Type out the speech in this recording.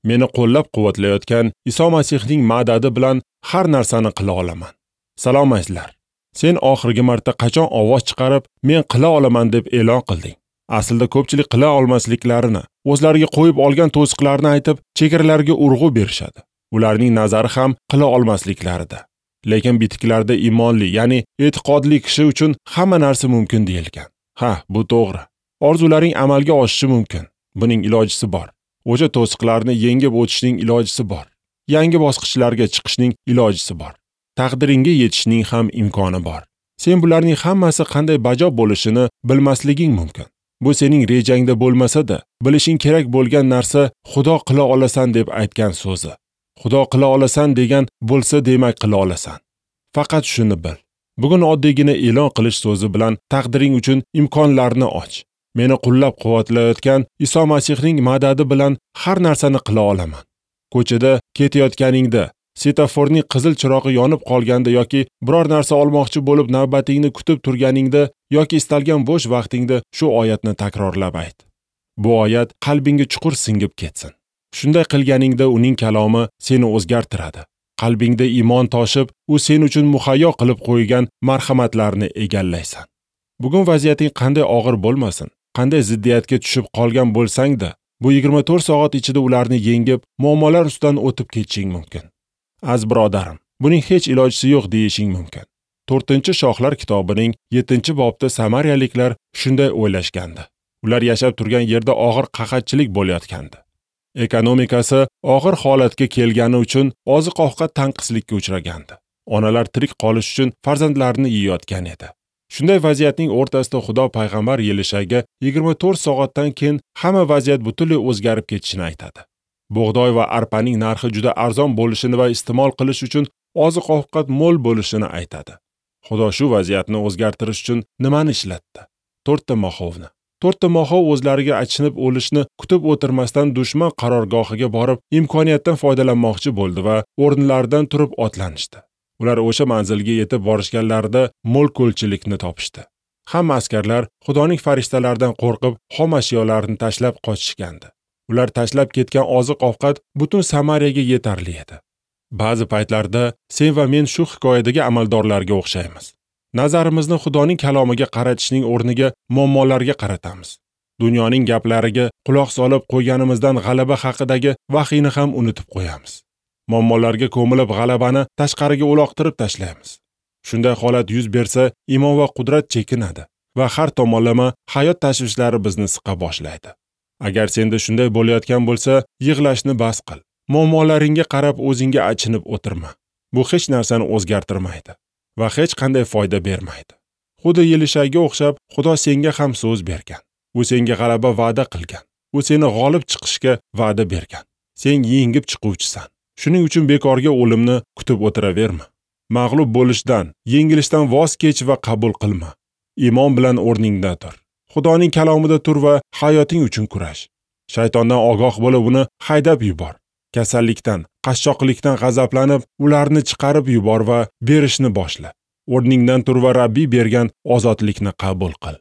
Meni qo'llab-quvvatlayotgan Iso Masihning madadi bilan har narsani qila olaman. Salom azizlar. Sen oxirgi marta qachon ovoz chiqarib, men qila olaman deb e'lon qilding? Aslida ko'pchilik qila olmasliklarini, o'zlariga qo'yib olgan to'siqlarni aytib, chegaralarga urg'u berishadi. Ularning nazari ham qila olmasliklarida. Lekin bitiklarda iymonli, ya'ni e'tiqodli kishi uchun hamma narsa mumkin deyilgan. Ha, bu to'g'ri. Orzularing amalga oshishi mumkin. Buning ilojisi bor. O'sha to'siqlarni yengib o'tishning ilojisi bor. Yangi bosqichlarga chiqishning ilojisi bor. Taqdiringga yetishning ham imkoni bor. Sen bularning hammasi qanday bajo bo'lishini bilmasliging mumkin. Bu sening rejangda bo'lmasa-da, bilishing kerak bo'lgan narsa Xudo qila olasan deb aytgan so'zi. Xudo qila olasan degan bo'lsa, demak qila olasan. Faqat shuni bil. Bugun oddiygina e'lon qilish so'zi bilan taqdiring uchun imkonlarni och. Meni qo'llab-quvvatlayotgan Iso Masihning madadi bilan har narsani qila olaman. Ko'chada ketayotganingda, setaforning qizil chirog'i yonib qolganda yoki biror narsa olmoqchi bo'lib navbatingni kutib turganingda yoki istalgan bo'sh vaqtingda shu oyatni takrorlab ayt. Bu oyat qalbingga chuqur singib ketsin. Shunday qilganingda uning kalomi seni o'zgartiradi. Qalbingda iymon toshib, u sen uchun muhayyo qilib qo'ygan marhamatlarni egallaysan. Bugun vaziyating qanday og'ir bo'lmasin, qanday ziddiyatga tushib qolgan bo'lsang-da, bu 24 soat ichida ularni yengib, muammolar ustidan o'tib ketishing mumkin. Az birodarim, buning hech ilojisi yo'q deyishing mumkin. 4-Shohlar kitobining 7-bobda samariyaliklar shunday o'ylashgandi. Ular yashab turgan yerda og'ir qahatchilik bo'layotgandi. Ekonomikasi og'ir holatga kelgani uchun oziq-ovqat tanqislikka uchragandi. Onalar tirik qolish uchun farzandlarini yeyotgan edi. Shunday vaziyatning o'rtasida Xudo payg'ambar Yelishaga 24 soatdan keyin hamma vaziyat butunlay o'zgarib ketishini aytadi. Bug'doy va arpaning narxi juda arzon bo'lishini va iste'mol qilish uchun oziq-ovqat mo'l bo'lishini aytadi. Xudo shu vaziyatni o'zgartirish uchun nimani ishlatdi? 4 ta moxovni. 4 ta moxov o'zlariga achinib o'lishni kutib o'tirmasdan dushman qarorgohiga borib, imkoniyatdan foydalanmoqchi bo'ldi va o'rinlaridan turib otlanishdi. Ular o'sha manzilga yetib borishganlarida mo'l-ko'lchilikni topishdi. Hamma askarlar Xudoning farishtalaridan qo'rqib, xom ashyolarni tashlab qochishgandi. Ular tashlab ketgan oziq-ovqat butun Samariyaga yetarli edi. Ba'zi paytlarda sen va men shu hikoyadagi amaldorlarga o'xshaymiz. Nazarimizni Xudoning kalomiga qaratishning o'rniga muammolarga qaratamiz. Dunyoning gaplariga quloq solib qo'yganimizdan g'alaba haqidagi vahiyni ham unutib qo'yamiz. Muammolarga ko'milib g'alabani tashqariga uloqtirib tashlaymiz. Shunday holat yuz bersa, iymon va qudrat chekinadi va har tomonlama hayot tashvishlari bizni siqa boshlaydi. Agar senda shunday bo'layotgan bo'lsa, yig'lashni bas qil. Muammolaringga qarab o'zingga achinib o'tirma. Bu hech narsani o'zgartirmaydi va hech qanday foyda bermaydi. Xuddi Yelishaga o'xshab, Xudo senga ham so'z bergan. U senga g'alaba va'da qilgan. U seni g'olib chiqishga va'da bergan. Sen yengib chiquvchisan. Shuning uchun bekorga o'limni kutib o'tiraverma. Mag'lub bo'lishdan, yengilishdan voz kech va qabul qilma. Iymon bilan o'rningda tur. Xudoning kalomida tur va hayoting uchun kurash. Shaytondan ogoh bo'lib, uni haydab yubor. Kasallikdan, qashshoqlikdan g'azablanib, ularni chiqarib yubor va berishni boshla. O'rningdan tur va Rabbiy bergan ozodlikni qabul qil.